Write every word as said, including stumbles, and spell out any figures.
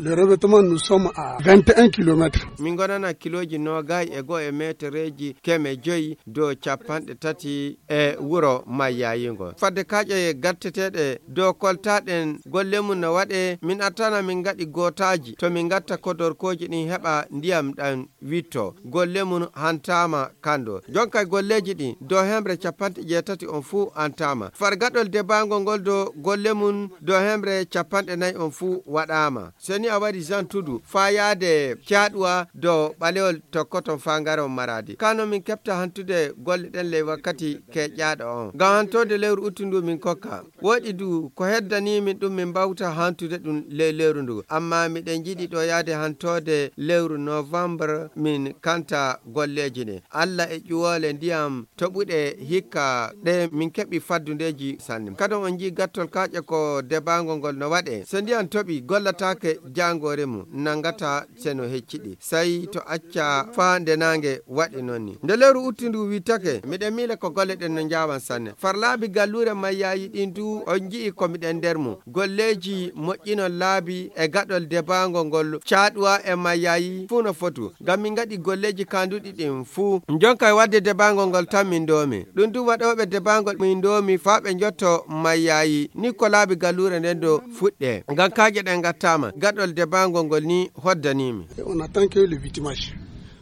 Le revêtement, nous sommes à vingt et un kilomètres. Min ngonana kilooji noogay e goo e meetereeji keme joyi dow capanɗe tati e wuro Mayyayingo. Fadde kaaƴe gatteteeɗe dow koltaaɗen golle mum no waɗee, min attana min ngaɗi gootaaji to min ngatta kodorkooji ɗin heɓa ndiyam ɗam witto. Golle mum hantaama kando. Jonka golleeji ɗin dow hemre capanɗe jeetati on fuu hantaama. Far gaɗol debaangol ngol dow golle mum dow hemre capanɗe nayi on fuu waɗaama. Seni a waɗi Jean Tudu faa yaade Caaɗuwa dow ɓalewol tokkoton faa ngaron Maraadi. Kano min keɓta hantude golle ɗen ley wakkati keƴaaɗo on. Ngam hantoode lewru uttu ndu min kokka. Woɗi du ko heddanii min ɗum min mbawta hantude ɗum ley lewru ndu. Amma miɗen njiɗi ɗo yaade hantoode lewru novembre min kanta golleeji ɗin. Alla e ƴuwoole ndiyam toɓuɗe hikka ɗe min keɓi faddundeeji sanne. Kadon on njii gattol kaaƴe ko debaango ngol no waɗee. So ndiyam toɓi gollataake jaangoore mum nanngata se no hecciɗi. Sey to acca faa nde naange waɗi noon ni. Nde lewru utti ndu wittake, miɗen miila ko golle ɗen no njaawan sanne. Far laabi galluure Mayyaayi ɗin du on nji'i ko miɗen nder mum. Golleeji moƴƴinol laabi e gaɗol debaango ngol Caaɗuwa e Mayyaayi fuu no fotu. Ngam min ngaɗi golleeji kaanduɗi ɗin fuu. Jonka e waɗde debaango ngol tan min ndoomi. Ɗum du waɗooɓe debaango min ndoomi faa ɓe njotto Mayyaayi. Ni ko laabi galluure nden do fuɗɗee. Ngam kaaƴe ɗen ngattaama. Gaɗol debaango ngol ni hoddanii mi. Et on attend que le vitimage.